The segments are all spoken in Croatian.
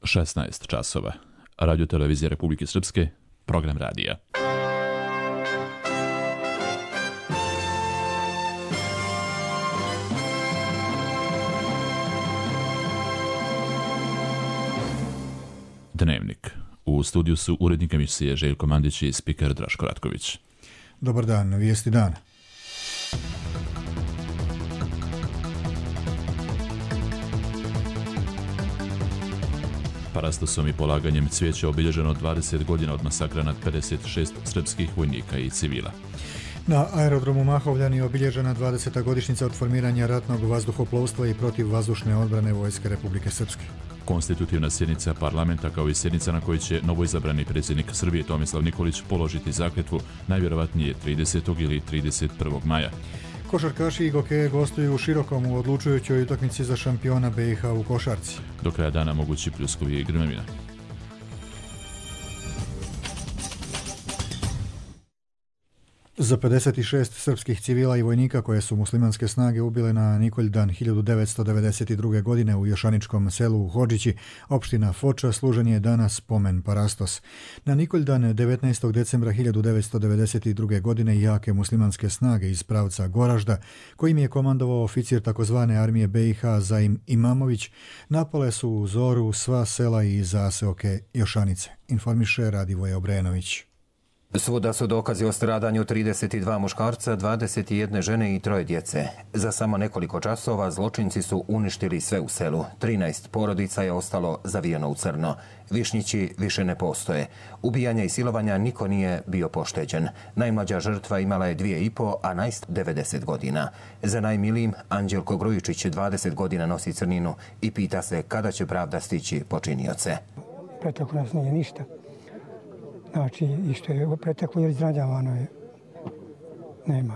16 časova. Radio televizija Republike Srpske, program radija. Dnevnik. U studiju su urednik emisije Željko Mandić i spiker Draško Ratković. Dobar dan, vijesti dana. Parastosom i polaganjem cvijeća obilježeno 20 godina od masakra nad 56 srpskih vojnika i civila. Na aerodromu Mahovljani je obilježena 20. godišnjica od formiranja ratnog vazduhoplovstva i protivvazdušne odbrane Vojske Republike Srpske. Konstitutivna sjednica parlamenta kao i sjednica na kojoj će novoizabrani predsjednik Srbije Tomislav Nikolić položiti zakletvu najvjerovatnije 30. ili 31. maja. Košarkaši i gokeje gostuju u Širokom u odlučujućoj utakmici za šampiona BiH u košarci. Do kraja dana mogući pljuskovi i grmevina. Za 56 srpskih civila i vojnika koje su muslimanske snage ubile na Nikoljdan 1992. godine u Jošaničkom selu u Hodžići, opština Foča, služen je danas spomen Parastos. Na Nikoljdan 19. decembra 1992. godine jake muslimanske snage iz pravca Goražda, kojim je komandovao oficir takozvane armije BiH Zaim Imamović, napale su u zoru sva sela i zaseoke Jošanice, informiše Radivoje Obrenović. Svuda su dokazi o stradanju 32 muškarca, 21 žene i 3 djece. Za samo nekoliko časova zločinci su uništili sve u selu. 13 porodica je ostalo zavijeno u crno. Višnjići više ne postoje. Ubijanja i silovanja niko nije bio pošteđen. Najmlađa žrtva imala je 2,5, a najst 90 godina. Za najmilijim Anđelko Grujičić 20 godina nosi crninu i pita se kada će pravda stići počinioce. Preteklo nas nije ništa. Znači, i što je preteklo ili izrađavano je, nema.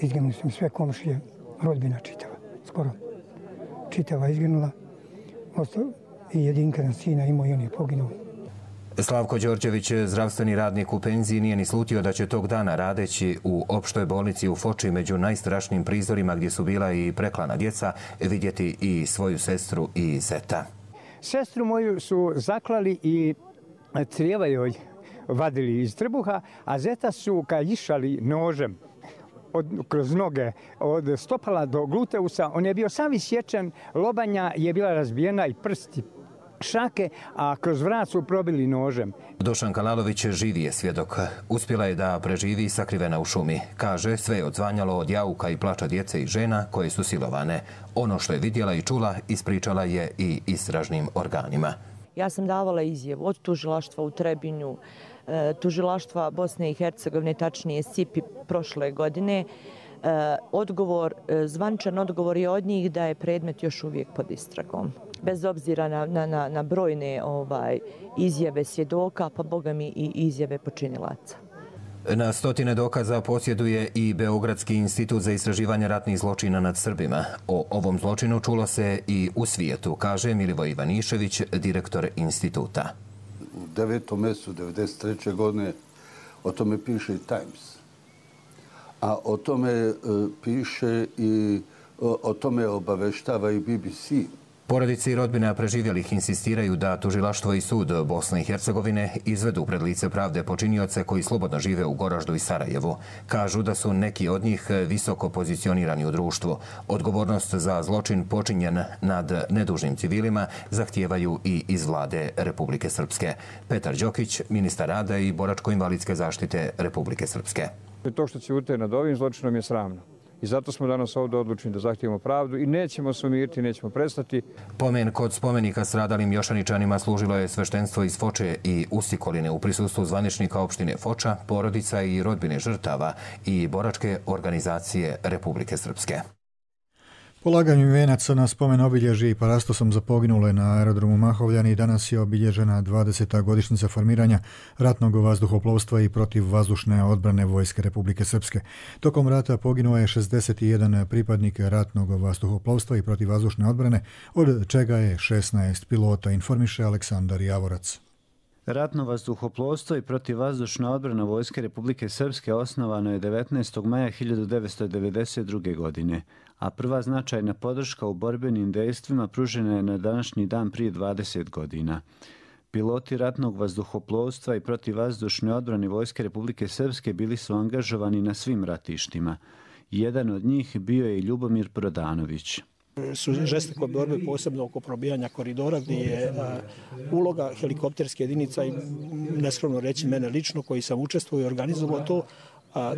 Izginuli su mi sve komšije, rodbina čitava, skoro. Čitava izginula, i jedinka na sina imao i on je poginuo. Slavko Đorđević, zdravstveni radnik u penziji, nije ni slutio da će tog dana radeći u opštoj bolnici u Foči među najstrašnijim prizorima gdje su bila i preklana djeca, vidjeti i svoju sestru i zeta. Sestru moju su zaklali i crijeva joj vadili iz trbuha, a zeta su kaljišali nožem kroz noge od stopala do gluteusa. On je bio sav isječen, lobanja je bila razbijena i prsti šake, a kroz vrat su probili nožem. Dušan Kalalović živi je svjedok. Uspjela je da preživi sakrivena u šumi. Kaže, sve je odzvanjalo od jauka i plača djece i žena koje su silovane. Ono što je vidjela i čula, ispričala je i istražnim organima. Ja sam davala izjavu od tužilaštva u Trebinju, tužilaštva Bosne i Hercegovine, tačnije SIPI prošle godine. Zvančan odgovor je od njih da je predmet još uvijek pod istragom. Bez obzira na brojne izjave svjedoka, pa boga mi i izjave počinilaca. Na stotine dokaza posjeduje i Beogradski institut za istraživanje ratnih zločina nad Srbima. O ovom zločinu čulo se i u svijetu, kaže Milivoj Ivanišević, direktor instituta. U 9. mjesecu 1993. godine o tome piše i Times. A o tome piše i o tome obaveštava i BBC. Porodice i rodbina preživjelih insistiraju da tužilaštvo i sud Bosne i Hercegovine izvedu pred lice pravde počinioce koji slobodno žive u Goraždu i Sarajevu. Kažu da su neki od njih visoko pozicionirani u društvu. Odgovornost za zločin počinjen nad nedužnim civilima zahtijevaju i iz vlade Republike Srpske. Petar Đokić, ministar rada i boračko-invalidske zaštite Republike Srpske. To što ćute nad ovim zločinom je sramno. I zato smo danas ovdje odlučeni da zahtijemo pravdu i nećemo se umiriti, nećemo prestati. Pomen kod spomenika stradalim Jošaničanima služilo je sveštenstvo iz Foče i Usikoline u prisustvu zvaničnika opštine Foča, porodica i rodbine žrtava i boračke organizacije Republike Srpske. Polaganjem venaca na spomen obilježje i parastosom za poginule na aerodromu Mahovljani danas je obilježena 20. godišnjica formiranja ratnog vazduhoplovstva i protivvazdušne odbrane Vojske Republike Srpske. Tokom rata poginuo je 61 pripadnik ratnog vazduhoplovstva i protivvazdušne odbrane, od čega je 16 pilota, informiše Aleksandar Javorac. Ratno vazduhoplovstvo i protivvazdušna odbrana Vojske Republike Srpske osnovano je 19. maja 1992. godine, a prva značajna podrška u borbenim dejstvima pružena je na današnji dan prije 20 godina. Piloti ratnog vazduhoplovstva i protivvazdušne odbrane Vojske Republike Srpske bili su angažovani na svim ratištima. Jedan od njih bio je i Ljubomir Prodanović. Su žestoko borbe posebno oko probijanja koridora gdje je uloga helikopterske jedinica i neskromno reći mene lično koji sam učestvovao i organizovao to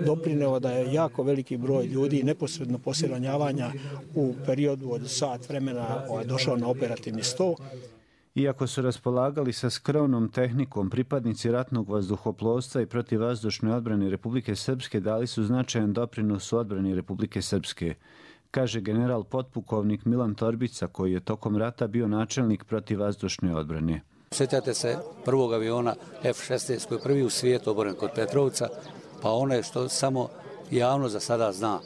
doprineo da je jako veliki broj ljudi neposredno poslije ranjavanja u periodu od sat vremena došao na operativni sto. Iako su raspolagali sa skromnom tehnikom, pripadnici ratnog vazduhoplovstva i protivvazdušne odbrane Republike Srpske dali su značajan doprinos u odbrani Republike Srpske, kaže general potpukovnik Milan Torbica, koji je tokom rata bio načelnik protivvazdušne odbrane. Sjećate se prvog aviona F-16 koji je prvi u svijetu oboren kod Petrovca, pa ono je što samo javno za sada zna,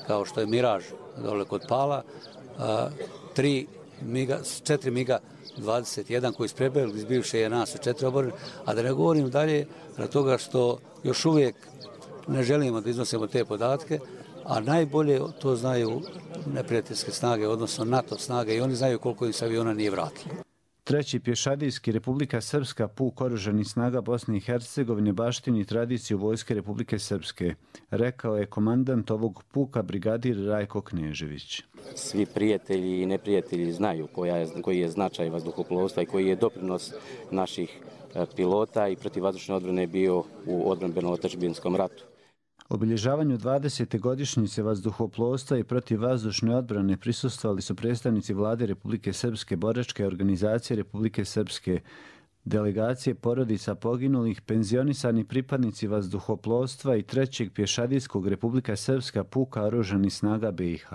kao što je Miraž dole kod Pala, 4 MiG 21 koji su prebjegli iz bivše JNA su 4 oborene, a da ne govorim dalje na toga što još uvijek ne želimo da iznosimo te podatke, a najbolje to znaju neprijateljske snage, odnosno NATO snage, i oni znaju koliko im se aviona nije vratilo. Treći pješadijski Republika Srpska puk oružanih snaga Bosne i Hercegovine baštini tradiciju Vojske Republike Srpske, rekao je komandant ovog puka brigadir Rajko Knežević. Svi prijatelji i neprijatelji znaju koji je značaj vazduhoplovstva i koji je doprinos naših pilota i protivvazdušne odbrane bio u odbrambeno-otadžbinskom ratu. Obilježavanju 20. godišnjice vazduhoplovstva i protivvazdušne odbrane prisustvovali su predstavnici Vlade Republike Srpske, boračke organizacije Republike Srpske, delegacije porodica poginulih, penzionisani pripadnici vazduhoplovstva i trećeg pješadijskog Republika Srpska puka oružanih snaga BiH.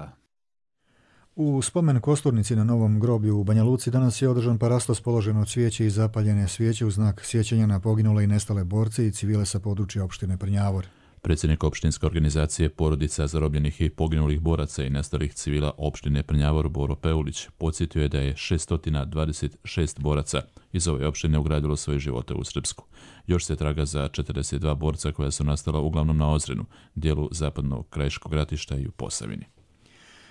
U spomen kosturnici na Novom groblju u Banja Luci danas je održan parastos položen od svijeće i zapaljene svijeće u znak sjećanja na poginule i nestale borce i civile sa područja opštine Prnjavor. Predsjednik opštinske organizacije porodica zarobljenih i poginulih boraca i nestalih civila opštine Prnjavor Boro Peulić podsjetio je da je 626 boraca iz ove opštine ugradilo svoje živote u Srpsku. Još se traga za 42 borca koja su nastala uglavnom na Ozrenu, dijelu zapadnog krajiškog ratišta i u Posavini.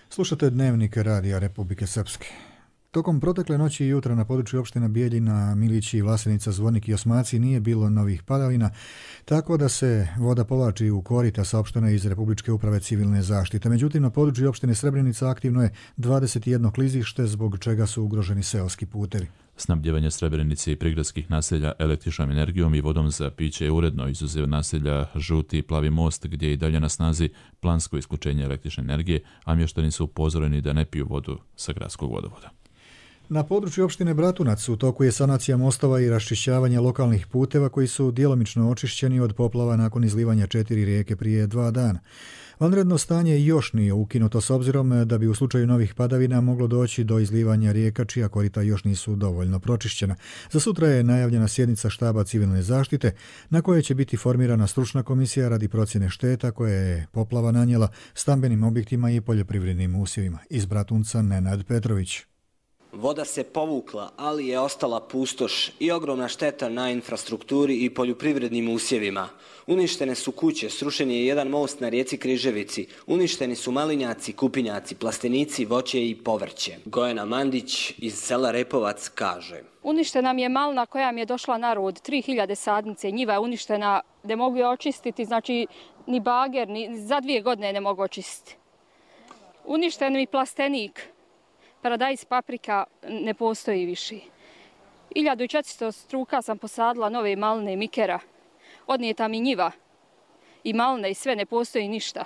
Slušate Dnevnik Radija Republike Srpske. Tokom protekle noći i jutra na području opština Bijeljina, Milići, Vlasenica, Zvornik i Osmaci nije bilo novih padavina, tako da se voda povlači u korita saopšteno iz Republičke uprave civilne zaštite. Međutim, na području opštine Srebrenica aktivno je 21 klizište, zbog čega su ugroženi seoski putevi. Snabdjevanje Srebrenice i prigradskih naselja električnom energijom i vodom za piće je uredno, izuzev naselja Žuti i Plavi most, gdje je i dalje na snazi plansko isključenje električne energije, a mještani su upozoreni da ne piju vodu sa gradskog vodovoda. Na području opštine Bratunac u toku je sanacija mostova i raščišćavanje lokalnih puteva koji su djelomično očišćeni od poplava nakon izlivanja 4 rijeke prije 2 dana. Vanredno stanje još nije ukinuto s obzirom da bi u slučaju novih padavina moglo doći do izlivanja rijeka čija korita još nisu dovoljno pročišćena. Za sutra je najavljena sjednica štaba civilne zaštite na kojoj će biti formirana stručna komisija radi procjene šteta koje je poplava nanijela stambenim objektima i poljoprivrednim usjevima. Iz Bratunca Nenad Petrović. Voda se povukla, ali je ostala pustoš i ogromna šteta na infrastrukturi i poljoprivrednim usjevima. Uništene su kuće, srušen je jedan most na rijeci Križevici, uništeni su malinjaci, kupinjaci, plastenici, voće i povrće. Gojana Mandić iz sela Repovac kaže: Uništena mi je malina koja mi je došla na rod, 3000 sadnice, njiva je uništena, ne mogu je očistiti, znači ni bager, ni za 2 godine ne mogu očistiti. Uništen mi plastenik. Paradajz, paprika ne postoji više. 1400 struka sam posadila nove maline mikera. Odnijeta mi njiva i maline i sve, ne postoji ništa.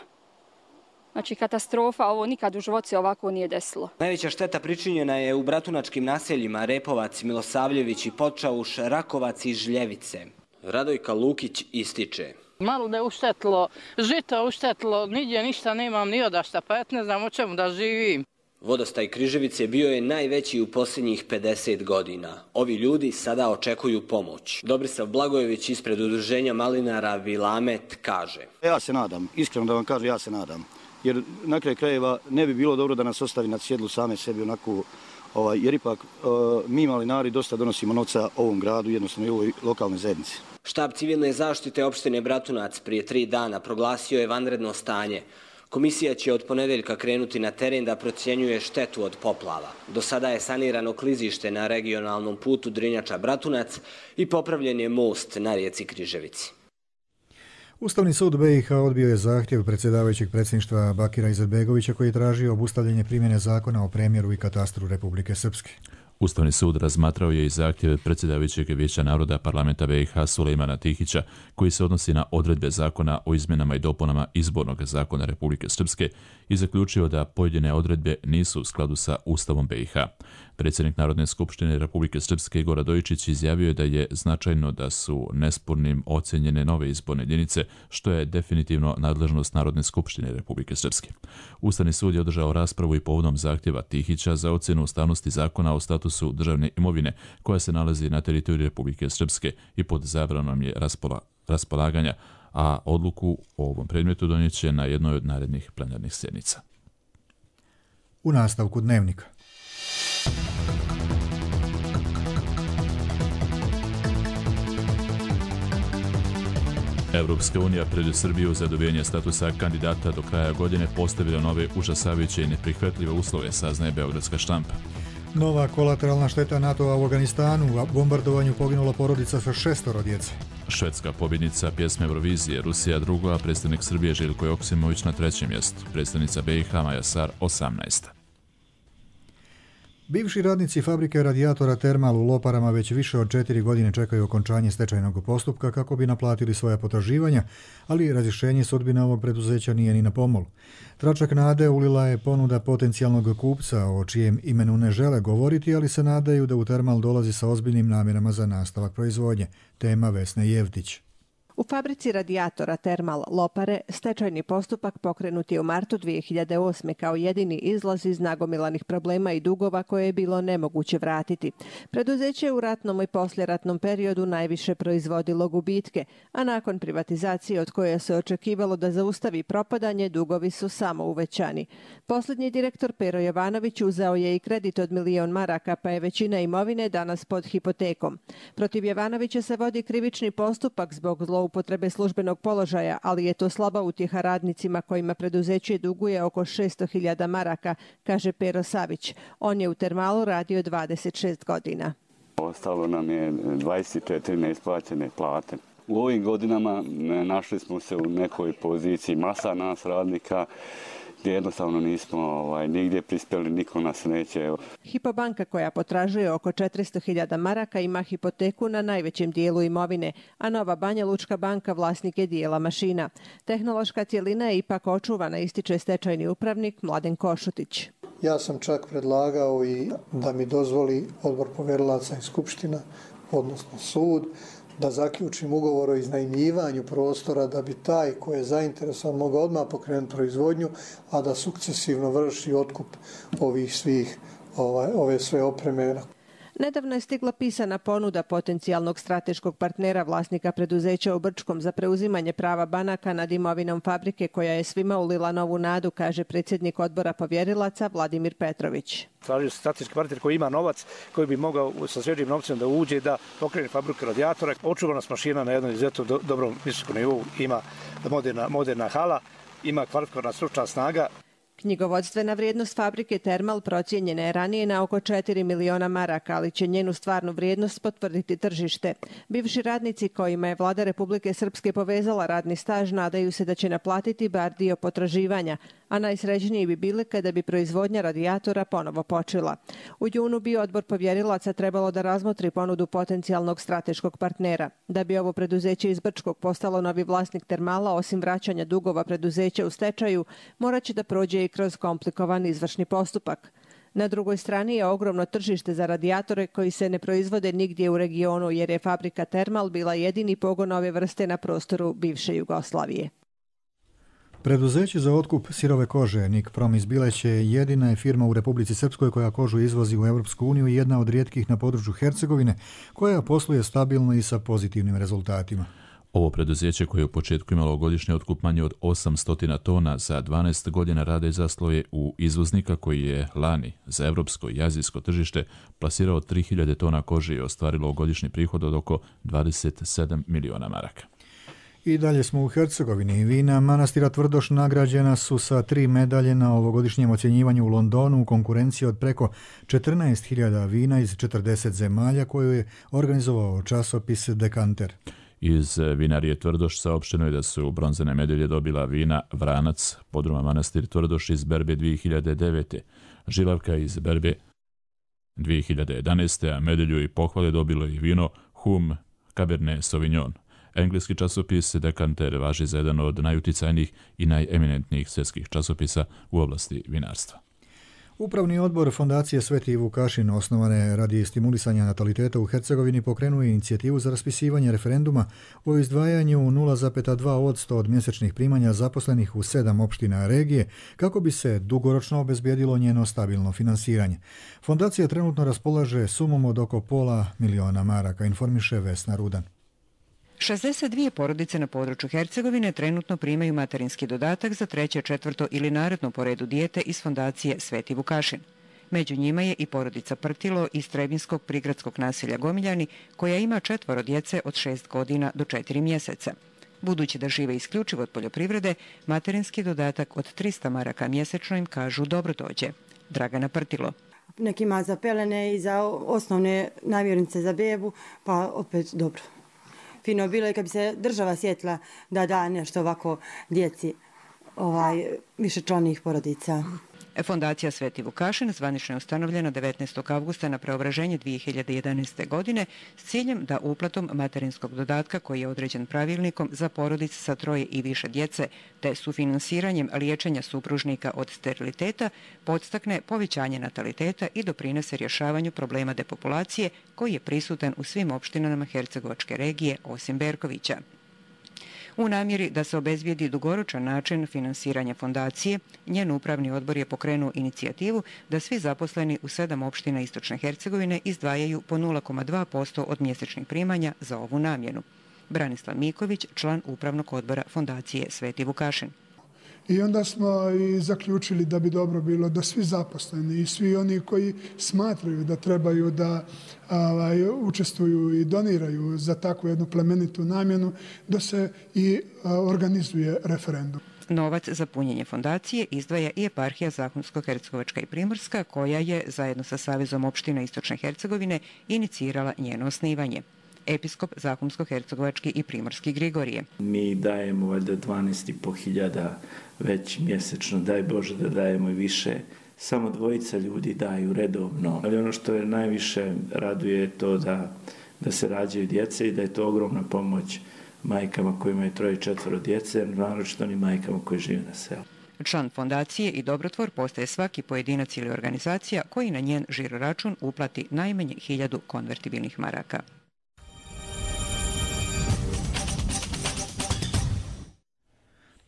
Znači katastrofa, ovo nikad u životu se ovako nije desilo. Najveća šteta pričinjena je u bratunačkim naseljima Repovac, Milosavljević i Počauš, Rakovac i Žljevice. Radojka Lukić ističe: Maline je uštetilo, žito je uštetilo, nigdje ništa nemam ni odašta, pa ja ne znam o čemu da živim. Vodostaj Križevice bio je najveći u posljednjih 50 godina. Ovi ljudi sada očekuju pomoć. Dobrisav Blagojević ispred udruženja malinara Vilamet kaže: Ja se nadam, iskreno da vam kažem, ja se nadam. Jer na kraju krajeva ne bi bilo dobro da nas ostavi na sjedlu same sebi onako, jer ipak mi malinari dosta donosimo novca ovom gradu, jednostavno i ovoj lokalnoj zajednici. Štab civilne zaštite opštine Bratunac prije 3 dana proglasio je vanredno stanje. Komisija će od ponedjeljka krenuti na teren da procjenjuje štetu od poplava. Do sada je sanirano klizište na regionalnom putu Drinjača-Bratunac i popravljen je most na rijeci Križevici. Ustavni sud BiH odbio je zahtjev predsjedavajućeg predsjedništva Bakira Izetbegovića koji je tražio obustavljanje primjene zakona o premjeru i katastru Republike Srpske. Ustavni sud razmatrao je i zahtjeve predsjedavajućeg Vijeća naroda parlamenta BiH Sulejmana Tihića koji se odnosi na odredbe zakona o izmjenama i dopunama izbornog zakona Republike Srpske i zaključio da pojedine odredbe nisu u skladu sa Ustavom BiH. Predsjednik Narodne skupštine Republike Srpske Igor Radojičić izjavio je da je značajno da su nespornim ocjenjene nove izborne jedinice, što je definitivno nadležnost Narodne skupštine Republike Srpske. Ustavni sud je održao raspravu i povodom zahtjeva Tihića za ocjenu ustavnosti zakona o statusu državne imovine koja se nalazi na teritoriji Republike Srpske i pod zabranom je raspolaganja, a odluku o ovom predmetu donijet će na jednoj od narednih plenarnih sjednica. U nastavku dnevnika. Evropska unija pred Srbiju za dobivanje statusa kandidata do kraja godine postavila nove užasavajuće i neprihvatljive uslove, saznaje beogradska štampa. Nova kolateralna šteta NATO-a u Afganistanu, u bombardovanju poginula porodica sa 6 djece. Švedska pobjednica pjesme Eurovizije, Rusija druga, a predstavnik Srbije Željko Joksimović na 3. mjestu, predstavnica BiH Maja Sar 18. Bivši radnici fabrike radijatora Termal u Loparama već više od 4 godine čekaju okončanje stečajnog postupka kako bi naplatili svoja potraživanja, ali razrješenje sudbine ovog preduzeća nije ni na pomolu. Tračak nade ulila je ponuda potencijalnog kupca o čijem imenu ne žele govoriti, ali se nadaju da u Termal dolazi sa ozbiljnim namjerama za nastavak proizvodnje. Tema Vesne Jevtić. U fabrici radijatora Termal Lopare stečajni postupak pokrenut je u martu 2008. kao jedini izlaz iz nagomilanih problema i dugova koje je bilo nemoguće vratiti. Preduzeće je u ratnom i poslijeratnom periodu najviše proizvodilo gubitke, a nakon privatizacije od koje se očekivalo da zaustavi propadanje, dugovi su samo uvećani. Posljednji direktor Pero Jovanović uzeo je i kredit od 1 milion maraka, pa je većina imovine danas pod hipotekom. Protiv Jovanovića se vodi krivični postupak zbog zloupotrebe službenog položaja, ali je to slaba utjeha radnicima kojima preduzeće duguje oko 600.000 maraka, kaže Pero Savić. On je u Termalu radio 26 godina. Ostalo nam je 24 neisplaćene plate. U ovim godinama našli smo se u nekoj poziciji, masa nas radnika, gdje jednostavno nismo nigdje prispjeli, niko nas neće. Hypo banka koja potražuje oko 400.000 maraka ima hipoteku na najvećem dijelu imovine, a Nova Banja Lučka banka vlasnik je dijela mašina. Tehnološka cjelina je ipak očuvana, ističe stečajni upravnik Mladen Košutić. Ja sam čak predlagao i da mi dozvoli odbor povjerilaca i skupština, odnosno sud, da zaključim ugovor o iznajmljivanju prostora da bi taj koji je zainteresovan mogao odmah pokrenuti proizvodnju, a da sukcesivno vrši otkup ovih svih, ove sve opreme. Nedavno je stigla pisana ponuda potencijalnog strateškog partnera vlasnika preduzeća u Brčkom za preuzimanje prava banaka nad imovinom fabrike koja je svima ulila novu nadu, kaže predsjednik odbora povjerilaca Vladimir Petrović. Tražio se strateški partner koji ima novac, koji bi mogao sa svježim novcem da uđe da pokrene fabriku radijatora. Očuvanost mašina na jednom izuzetno dobrom visokom nivou, ima moderna hala, ima kvalifikovana stručna snaga. Knjigovodstvena vrijednost fabrike Termal procijenjena je ranije na oko 4 miliona maraka, ali će njenu stvarnu vrijednost potvrditi tržište. Bivši radnici kojima je vlada Republike Srpske povezala radni staž nadaju se da će naplatiti bar dio potraživanja, a najsrećniji bi bili kada bi proizvodnja radijatora ponovo počela. U junu bi odbor povjerilaca trebalo da razmotri ponudu potencijalnog strateškog partnera. Da bi ovo preduzeće iz Brčkog postalo novi vlasnik Termala, osim vraćanja dugova preduzeća u stečaju, morat će da prođe i kroz komplikovan izvršni postupak. Na drugoj strani je ogromno tržište za radijatore koji se ne proizvode nigdje u regionu, jer je fabrika Termal bila jedini pogon ove vrste na prostoru bivše Jugoslavije. Preduzeće za otkup sirove kože Nikprom iz Bileće jedina je firma u Republici Srpskoj koja kožu izvozi u Europsku uniju i jedna od rijetkih na području Hercegovine koja posluje stabilno i sa pozitivnim rezultatima. Ovo preduzeće koje je u početku imalo godišnji otkup manje od 800 tona za 12 godina rada i zasloje u izvoznika koji je lani za evropsko i azijsko tržište plasirao 3000 tona kože i ostvarilo godišnji prihod od oko 27 miliona maraka. I dalje smo u Hercegovini. Vina manastira Tvrdoš nagrađena su sa 3 medalje na ovogodišnjem ocjenjivanju u Londonu u konkurenciji od preko 14.000 vina iz 40 zemalja koju je organizovao časopis Dekanter. Iz vinarije Tvrdoš saopšteno je da su bronzane medalje dobila vina Vranac, podruma manastir Tvrdoš iz berbe 2009. Žilavka iz berbe 2011. a medalju i pohvale dobilo i vino Hum Cabernet Sauvignon. Engleski časopis Dekanter važi za jedan od najuticajnijih i najeminentnijih svjetskih časopisa u oblasti vinarstva. Upravni odbor Fondacije Sveti Vukašin, osnovane radi stimulisanja nataliteta u Hercegovini, pokrenuo inicijativu za raspisivanje referenduma o izdvajanju 0,2% od mjesečnih primanja zaposlenih u 7 opština regije, kako bi se dugoročno obezbijedilo njeno stabilno finansiranje. Fondacija trenutno raspolaže sumom od oko $500.000 maraka, informiše Vesna Rudan. 62 porodice na području Hercegovine trenutno primaju materinski dodatak za 3., 4. ili naredno po redu dijete iz Fondacije Sveti Vukašin. Među njima je i porodica Prtilo iz Trebinskog prigradskog naselja Gomiljani, koja ima 4 djece od 6 godina do 4 mjeseca. Budući da žive isključivo od poljoprivrede, materinski dodatak od 300 maraka mjesečno im kažu dobro dođe. Dragana Prtilo. Nekima za pelene i za osnovne namirnice za bebu, pa opet dobro. Fino bilo je kad bi se država sjetila da da nešto ovako djeci višečlanih porodica. Fondacija Sveti Vukašin zvanično je ustanovljena 19. avgusta na preobraženje 2011. godine s ciljem da uplatom materinskog dodatka koji je određen pravilnikom za porodice sa 3 i više djece te sufinansiranjem liječenja supružnika od steriliteta podstakne povećanje nataliteta i doprinese rješavanju problema depopulacije koji je prisutan u svim opštinama Hercegovačke regije osim Berkovića. U namjeri da se obezbijedi dugoročan način finansiranja fondacije, njen upravni odbor je pokrenuo inicijativu da svi zaposleni u 7 opština Istočne Hercegovine izdvajaju po 0,2% od mjesečnih primanja za ovu namjenu. Branislav Miković, član upravnog odbora Fondacije Sveti Vukašin. I onda smo i zaključili da bi dobro bilo da svi zaposleni i svi oni koji smatraju da trebaju da učestvuju i doniraju za takvu jednu plemenitu namjenu, da se i organizuje referendum. Novac za punjenje fondacije izdvaja i eparhija Zahumsko-Hercegovačka i Primorska, koja je zajedno sa Savezom opština Istočne Hercegovine inicirala njeno osnivanje. Episkop Zahumsko-Hercegovački i Primorski Grigorije. Mi dajemo valjda 12.500 već mjesečno, daj Bože da dajemo i više. Samo 2 ljudi daju redovno. Ali ono što je najviše raduje je to da se rađaju djece i da je to ogromna pomoć majkama koji imaju 3 i 4 djece, naročito onim majkama koji žive na selu. Član fondacije i dobrotvor postaje svaki pojedinac ili organizacija koji na njen žiroračun uplati najmanje 1000 konvertibilnih maraka.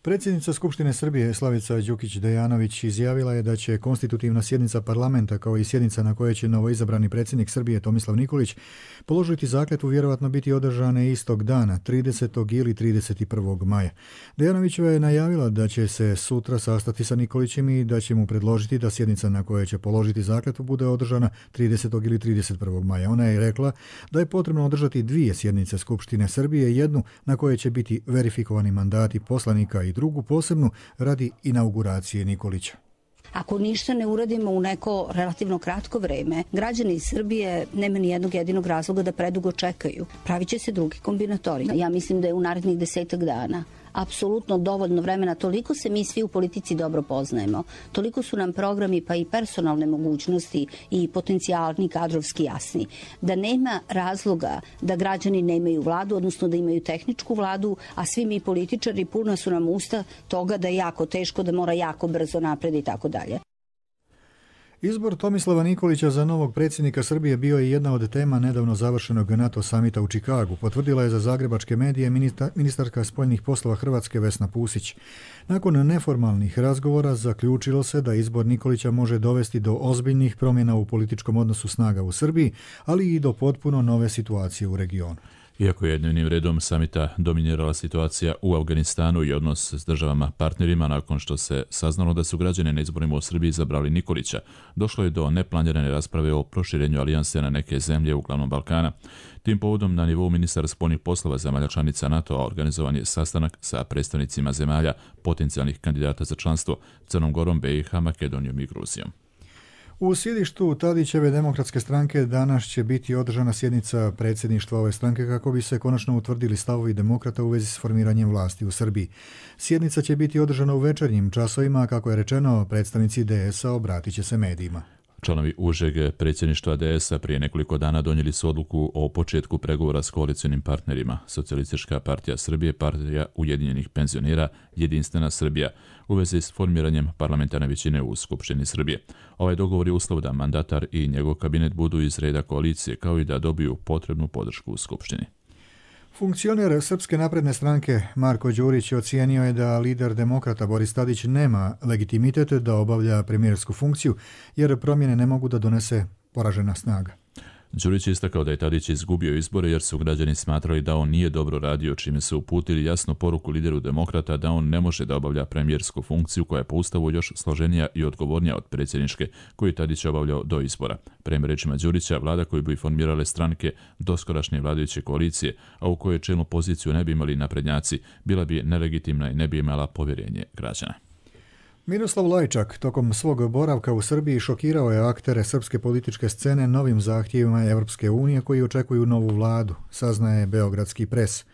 Predsjednica Skupštine Srbije Slavica Đukić-Dejanović izjavila je da će konstitutivna sjednica parlamenta kao i sjednica na kojoj će novoizabrani predsjednik Srbije Tomislav Nikolić položiti zakletvu vjerovatno biti održane istog dana, 30. ili 31. maja. Dejanovićeva je najavila da će se sutra sastati sa Nikolićem i da će mu predložiti da sjednica na kojoj će položiti zakletvu bude održana 30. ili 31. maja. Ona je rekla da je potrebno održati 2 sjednice Skupštine Srbije, jednu na kojoj će biti verifikovani mandati poslanika i drugu posebnu radi inauguracije Nikolića. Ako ništa ne uradimo u neko relativno kratko vreme, građani Srbije nema ni jednog jedinog razloga da predugo čekaju. Pravit će se drugi kombinatori. Ja mislim da je u narednih 10 dana apsolutno dovoljno vremena, toliko se mi svi u politici dobro poznajemo, toliko su nam programi pa i personalne mogućnosti i potencijalni kadrovski jasni, da nema razloga da građani nemaju vladu, odnosno da imaju tehničku vladu, a svi mi političari puna su nam usta toga da je jako teško, da mora jako brzo napred i tako dalje. Izbor Tomislava Nikolića za novog predsjednika Srbije bio je jedna od tema nedavno završenog NATO samita u Čikagu, potvrdila je za zagrebačke medije ministarka spoljnih poslova Hrvatske Vesna Pusić. Nakon neformalnih razgovora zaključilo se da izbor Nikolića može dovesti do ozbiljnih promjena u političkom odnosu snaga u Srbiji, ali i do potpuno nove situacije u regionu. Iako je dnevnim redom samita dominirala situacija u Afganistanu i odnos s državama partnerima nakon što se saznalo da su građani na izborima u Srbiji izabrali Nikolića, došlo je do neplanirane rasprave o proširenju alijanse na neke zemlje uglavnom Balkana. Tim povodom na nivou ministara spoljnih poslova zemalja članica NATO-a organizovan je sastanak sa predstavnicima zemalja potencijalnih kandidata za članstvo Crnom Gorom, BiH, Makedonijom i Gruzijom. U sjedištu Tadićeve demokratske stranke danas će biti održana sjednica predsjedništva ove stranke kako bi se konačno utvrdili stavovi demokrata u vezi s formiranjem vlasti u Srbiji. Sjednica će biti održana u večernjim časovima, kako je rečeno, predstavnici DS-a obratit će se medijima. Članovi užeg predsjedništva DS-a prije nekoliko dana donijeli su odluku o početku pregovora s koalicionim partnerima. Socijalistička partija Srbije, partija Ujedinjenih penzionera, Jedinstvena Srbija, u vezi s formiranjem parlamentarne većine u Skupštini Srbije. Ovaj dogovor je uslov da mandatar i njegov kabinet budu iz reda koalicije, kao i da dobiju potrebnu podršku u Skupštini. Funkcioner Srpske napredne stranke Marko Đurić ocijenio je da lider demokrata Boris Tadić nema legitimitet da obavlja premijersku funkciju, jer promjene ne mogu da donese poražena snaga. Đurić je istakao da je Tadić izgubio izbore jer su građani smatrali da on nije dobro radio, čime su uputili jasnu poruku lideru demokrata da on ne može da obavlja premijersku funkciju koja je po ustavu još složenija i odgovornija od predsjedničke koju Tadić obavljao do izbora. Prema rečima Đurića, vlada koju bi formirale stranke doskorašnje vladajuće koalicije, a u kojoj čelnu poziciju ne bi imali naprednjaci, bila bi nelegitimna i ne bi imala povjerenje građana. Miroslav Lajčak tokom svog boravka u Srbiji šokirao je aktere srpske političke scene novim zahtjevima Evropske unije koji očekuju novu vladu, saznaje Beogradski pres.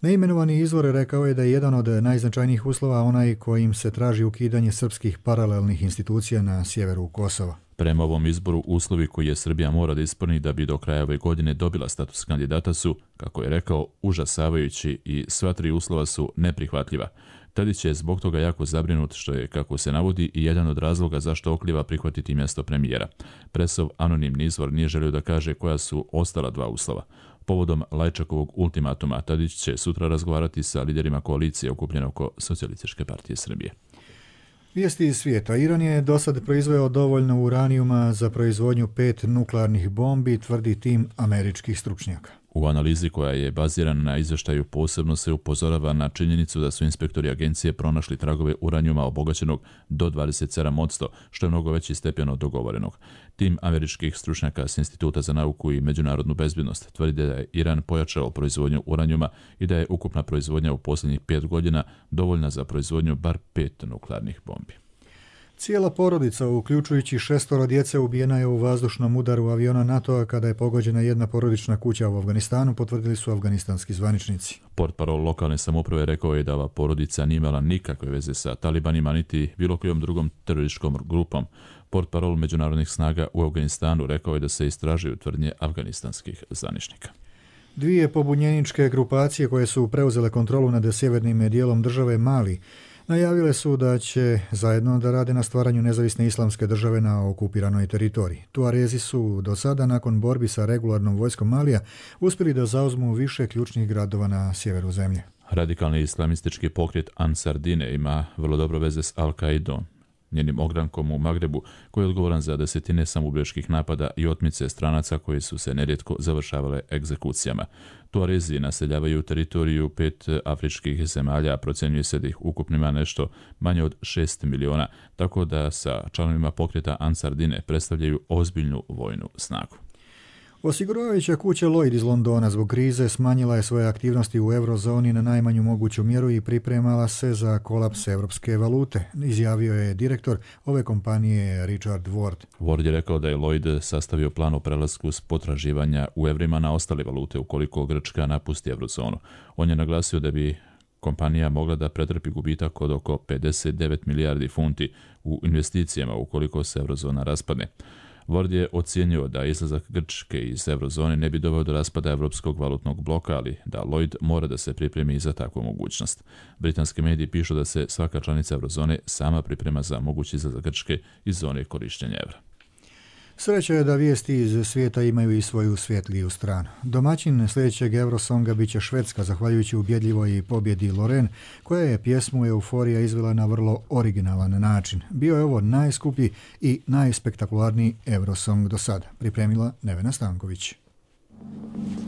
Neimenovani izvor rekao je da je jedan od najznačajnijih uslova onaj kojim se traži ukidanje srpskih paralelnih institucija na sjeveru Kosova. Prema ovom izboru, uslovi koji je Srbija mora da ispuni da bi do kraja ove godine dobila status kandidata su, kako je rekao, užasavajući i sva tri uslova su neprihvatljiva. Tadić je zbog toga jako zabrinut, što je, kako se navodi, i jedan od razloga zašto oklijeva prihvatiti mjesto premijera. Presov anonimni izvor nije želio da kaže koja su ostala dva uslova. Povodom Lajčakovog ultimatuma, Tadić će sutra razgovarati sa liderima koalicije okupljene oko Socijalističke partije Srbije. Vijesti iz svijeta. Iran je do sad proizveo dovoljno uranijuma za proizvodnju 5 nuklearnih bombi, tvrdi tim američkih stručnjaka. U analizi koja je bazirana na izvještaju posebno se upozorava na činjenicu da su inspektori agencije pronašli tragove uranijuma obogaćenog do 27%, što je mnogo veći stepen od dogovorenog. Tim američkih stručnjaka s Instituta za nauku i međunarodnu bezbjednost tvrdi da je Iran pojačao proizvodnju uranijuma i da je ukupna proizvodnja u posljednjih 5 godina dovoljna za proizvodnju bar 5 nuklearnih bombi. Cijela porodica, uključujući 6 djece, ubijena je u vazdušnom udaru aviona NATO-a kada je pogođena jedna porodična kuća u Afganistanu, potvrdili su afganistanski zvaničnici. Portparol lokalne samouprave rekao je da ova porodica nije imala nikakve veze sa talibanima niti bilo kojom drugom terorističkom grupom. Portparol međunarodnih snaga u Afganistanu rekao je da se istražuju tvrdnje afganistanskih zvaničnika. 2 pobunjeničke grupacije koje su preuzele kontrolu nad sjevernim dijelom države Mali najavile su da će zajedno da rade na stvaranju nezavisne islamske države na okupiranoj teritoriji. Tuarezi su do sada, nakon borbi sa regularnom vojskom Malija, uspjeli da zauzmu više ključnih gradova na sjeveru zemlje. Radikalni islamistički pokret Ansar Dine ima vrlo dobro veze s Al-Qaidom, njenim ogrankom u Magrebu, koji je odgovoran za desetine samoubilačkih napada i otmice stranaca koji su se nerijetko završavale egzekucijama. Tuarezi naseljavaju teritoriju 5 afričkih zemalja, a procjenjuje se da ih ukupno ima nešto manje od 6 miliona, tako da sa članovima pokreta Ansar Dine predstavljaju ozbiljnu vojnu snagu. Osiguravajuća kuća Lloyd iz Londona zbog krize smanjila je svoje aktivnosti u eurozoni na najmanju moguću mjeru i pripremala se za kolaps evropske valute, izjavio je direktor ove kompanije Richard Ward. Ward je rekao da je Lloyd sastavio plan o prelasku s potraživanja u evrima na ostale valute ukoliko Grčka napusti eurozonu. On je naglasio da bi kompanija mogla da pretrpi gubitak od oko 59 milijardi funti u investicijama ukoliko se eurozona raspadne. Ward je ocijenio da izlazak Grčke iz eurozone ne bi doveo do raspada evropskog valutnog bloka, ali da Lloyd mora da se pripremi za takvu mogućnost. Britanski mediji pišu da se svaka članica eurozone sama priprema za mogući izlazak Grčke iz zone korištenja evra. Sreća je da vijesti iz svijeta imaju i svoju svjetliju stranu. Domaćin sljedećeg Eurosonga bit će Švedska, zahvaljujući ubjedljivoj pobjedi Loreen, koja je pjesmu Euforija izvela na vrlo originalan način. Bio je ovo najskuplji i najspektakularniji Eurosong do sada, pripremila Nevena Stanković.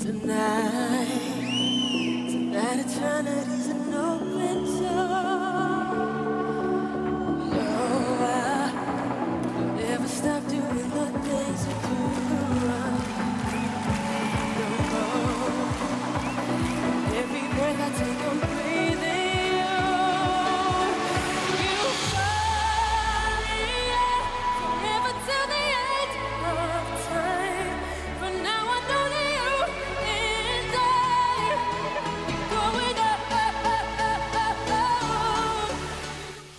Tonight.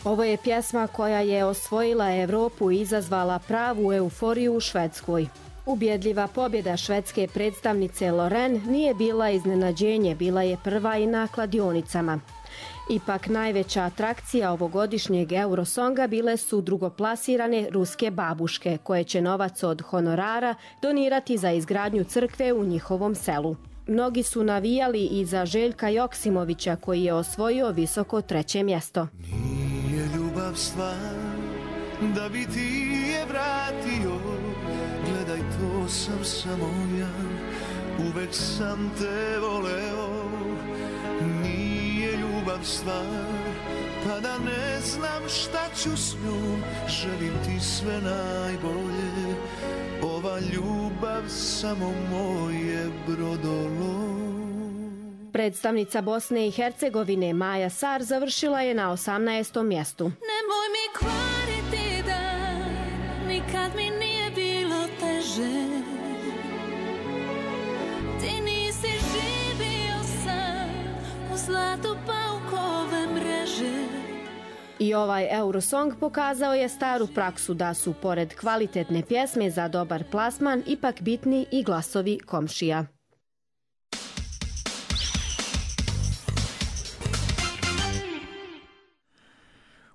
Ovo je pjesma koja je osvojila Europu i izazvala pravu euforiju u Švedskoj. Ubjedljiva pobjeda švedske predstavnice Loreen nije bila iznenađenje, bila je prva i na kladionicama. Ipak najveća atrakcija ovogodišnjeg Eurosonga bile su drugoplasirane ruske babuške, koje će novac od honorara donirati za izgradnju crkve u njihovom selu. Mnogi su navijali i za Željka Joksimovića, koji je osvojio visoko 3. mjesto. Nije ljubav stvar da bi ti je vratio, gledaj, to sam samo ja, uvek sam te voleo. Nije ljubav stvar pa da ne znam šta ću s njom, želim ti sve najbolje, ova ljubav samo moje brodolo. Predstavnica Bosne i Hercegovine Maja Sar završila je na 18. mjestu. Nemoj mi kvariti dan, nikad mi nije bilo teže. Ti nisi živio sam u zlatu paukove mreže. I ovaj Eurosong pokazao je staru praksu da su, pored kvalitetne pjesme za dobar plasman, ipak bitni i glasovi komšija.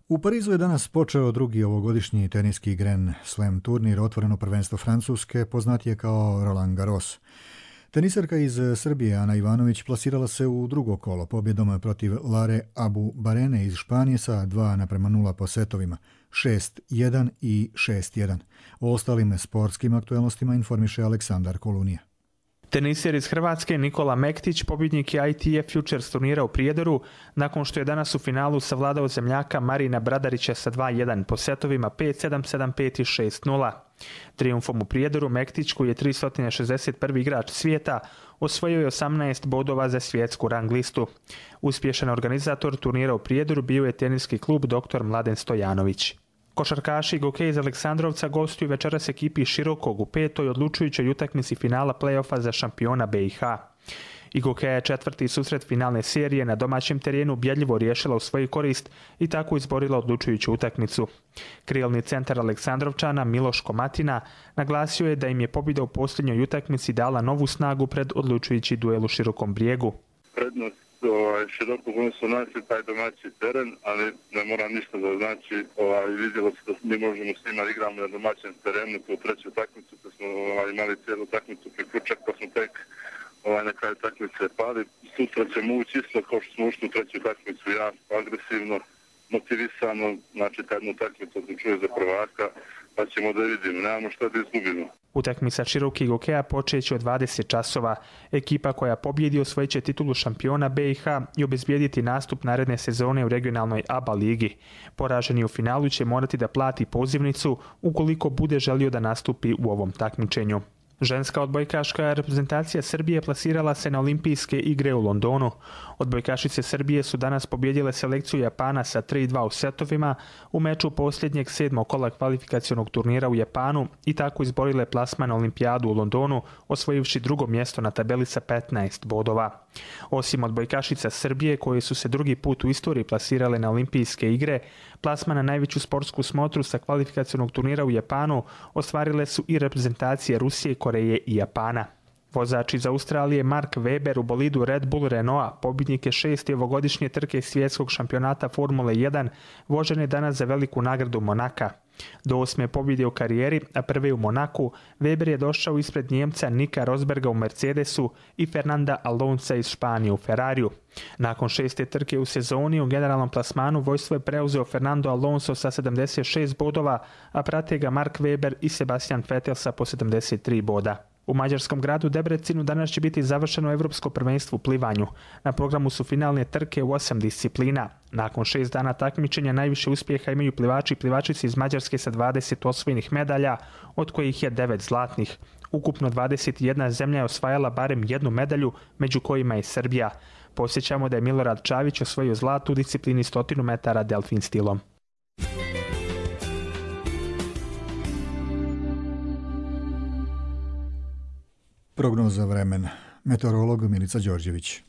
U Parizu je danas počeo drugi ovogodišnji teniski Grand Slam turnir, otvoreno prvenstvo Francuske, poznatije kao Roland Garros. Teniserka iz Srbije Ana Ivanović plasirala se u drugo kolo pobjedom protiv Lare Abu Barene iz Španije sa 2:0 po setovima, 6-1 i 6-1. O ostalim sportskim aktualnostima informiše Aleksandar Kolunija. Teniser iz Hrvatske Nikola Mektić pobjednik je ITF Futures turnira u Prijedoru nakon što je danas u finalu savladao zemljaka Marina Bradarića sa 2-1 po setovima 5-7, 7-5 i 6-0. Trijumfom u Prijedoru Mektić, koji je 361. igrač svijeta, osvojio je 18 bodova za svjetsku rang listu. Uspješan organizator turnira u Prijedoru bio je teniski klub Dr. Mladen Stojanović. Košarkaši Gokej iz Aleksandrovca gostuju večeras ekipi Širokog u 5. odlučujućoj utakmici finala play-offa za šampiona BiH. Gokeja je 4. susret finalne serije na domaćem terenu ubjedljivo riješila u svoju korist i tako izborila odlučujuću utakmicu. Krilni centar Aleksandrovčana Miloš Komatina naglasio je da im je pobjeda u posljednjoj utakmici dala novu snagu pred odlučujući duel u Širokom Brijegu. Prednost Širokog, oni su našli taj domaći teren, ali ne mora ništa da znači. Vidjelo se da mi možemo s njima igramo na domaćem terenu, tu treću takmicu, da smo imali cijelu takmicu priključak, pa smo tek na kraju takmice pali. Sutra ćemo ući isto kao što smo ušli u treću takmicu, jako agresivno, motivisano, znači ta jednu takmicu odlučuje za prvaka, pa ćemo da vidimo, nemamo šta da izgubimo. Utakmica Širokih Gokeja počeće od 20 časova. Ekipa koja pobjedi osvojit će titulu šampiona BiH i obezbijediti nastup naredne sezone u regionalnoj ABA ligi. Poraženi u finalu će morati da plati pozivnicu ukoliko bude želio da nastupi u ovom takmičenju. Ženska odbojkaška reprezentacija Srbije plasirala se na olimpijske igre u Londonu. Odbojkašice Srbije su danas pobjedile selekciju Japana sa 3-2 u setovima u meču posljednjeg 7. kola kvalifikacionog turnira u Japanu i tako izborile plasman na olimpijadu u Londonu, osvojivši drugo mjesto na tabeli sa 15 bodova. Osim odbojkašica Srbije, koje su se drugi put u istoriji plasirale na olimpijske igre, plasman na najveću sportsku smotru sa kvalifikacionog turnira u Japanu ostvarile su i reprezentacije Rusije, Koreje i Japana. Vozač iz Australije Mark Webber u bolidu Red Bull Renaulta, pobjednik je 6. ovogodišnje trke svjetskog šampionata Formule 1, vožen je danas za veliku nagradu Monaka. Do 8. pobjede u karijeri, a prve u Monaku, Weber je došao ispred Njemca Nika Rosberga u Mercedesu i Fernanda Alonsa iz Španije u Ferrariju. Nakon 6. trke u sezoni u generalnom plasmanu vojstvo je preuzeo Fernando Alonso sa 76 bodova, a prate ga Mark Webber i Sebastian Vettel sa po 73 boda. U mađarskom gradu Debrecinu danas će biti završeno Evropsko prvenstvo u plivanju. Na programu su finalne trke u 8 disciplina. Nakon 6 dana takmičenja najviše uspjeha imaju plivači i plivačice iz Mađarske sa 20 osvojenih medalja, od kojih je 9 zlatnih. Ukupno 21 zemlja je osvajala barem jednu medalju, među kojima je Srbija. Posjećamo da je Milorad Čavić osvojio zlatu u disciplini 100 metara delfin stilom. Prognoza vremena. Meteorolog Milica Đorđević.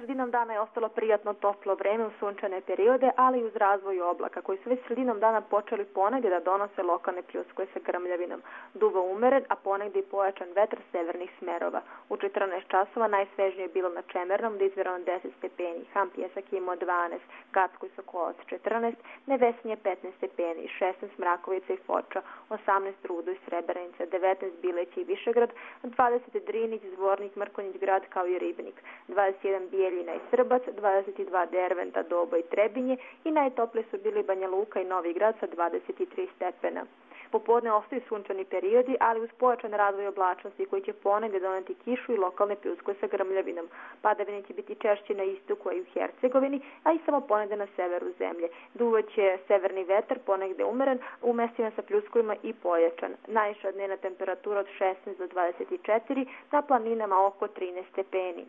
Sredinom dana je ostalo prijatno toplo vreme u sunčane periode, ali i uz razvoj oblaka, koji su već sredinom dana počeli ponegdje da donose lokalne pljuskove sa grmljavinom. Duvo umeren, a ponegdje i pojačan vetar severnih smerova. U 14 časova najsvežnije je bilo na Čemernom, da izvjerano 10 stepeni, Ham Pjesak je imao 12, Gacko i Sokolac 14, Nevesinje 15 stepeni, 16 Mrakovica i Foča, 18 Rudo i Srebrenica, 19 Bileć i Višegrad, 20 Drinić, Zvornik, Mrkonjić grad kao i Ribnik, 21 Bijeljina i Srbac, 22 Derventa, Dobo i Trebinje i najtoplije su bili Banja Luka i Novi Grad sa 23 stepena. Popodne ostaju sunčani periodi, ali uz pojačan razvoj oblačnosti koji će ponegdje doneti kišu i lokalne pljuskove sa grmljavinom. Padavine će biti češće na istoku, a i u Hercegovini, a i samo ponegdje na severu zemlje. Duvaće severni vetar, ponegdje umeren, u mestima sa pljuskovima i pojačan. Najviša dnevna temperatura od 16 do 24, na planinama oko 13 stepeni.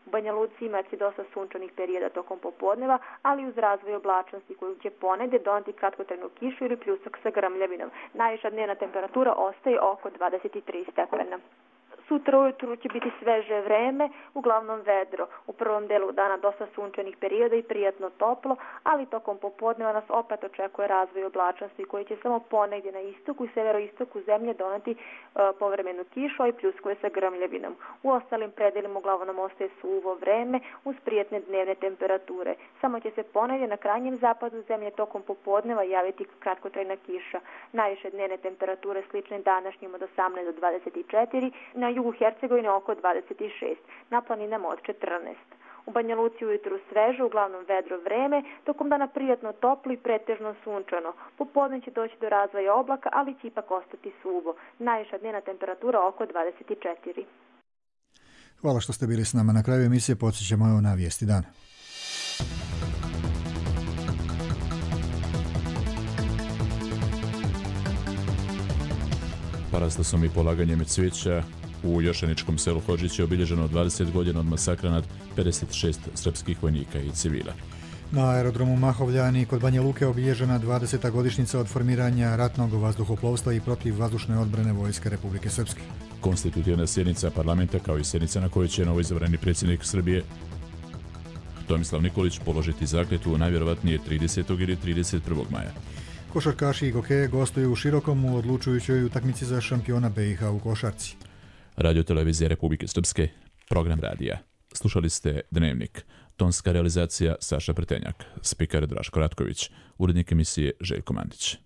U Banja Luci imati dosta sunčanih perioda tokom popodneva, ali uz razvoj oblačnosti koju će ponegdje doneti kratkotrajnu kišu ili pljusak sa grmljavinom. Najviša dnevna temperatura ostaje oko 23 stepena. Sutra ujutru će biti sveže vreme, uglavnom vedro. U prvom delu dana dosta sunčanih perioda i prijatno toplo, ali tokom popodneva nas opet očekuje razvoj oblačnosti koji će samo ponegdje na istoku i severoistoku zemlje doneti povremenu kišu, a i pljuskove sa grmljavinom. U ostalim predelima uglavnom nam ostaje suvo vreme uz prijatne dnevne temperature. Samo će se ponegdje na krajnjem zapadu zemlje tokom popodneva javiti kratkotrajna kiša. Najviše dnevne temperature slične današnjim od 18 do 24, na jugu Hercegovine oko 26, na planinama od 14. U Banja Luci ujutru sveže, uglavnom vedro vreme, tokom dana prijatno toplo i pretežno sunčano. Popodne će doći do razvoja oblaka, ali će ipak ostati suvo. Najviša dnevna temperatura oko 24. Hvala što ste bili s nama. Na kraju emisije podsjećamo na vijesti dana. Paraslasom i polaganjem cvijeća u jošaničkom selu Hodžić je obilježeno 20 godina od masakra nad 56 srpskih vojnika i civila. Na aerodromu Mahovljani kod Banja Luke obilježena 20. godišnjica od formiranja ratnog vazduhoplovstva i protivvazdušne odbrane Vojske Republike Srpske. Konstitutivna sjednica parlamenta kao i sjednica na kojoj će novoizabrani predsjednik Srbije Tomislav Nikolić položiti zakletvu najvjerovatnije 30. ili 31. maja. Košarkaši i gokeje gostuju u Širokom u odlučujućoj utakmici za šampiona BiH u košarci. Radio Televizija Republike Srpske, program radija. Slušali ste Dnevnik. Tonska realizacija Saša Pretenjak, spikar Draško Ratković, urednik emisije Željko Mandić.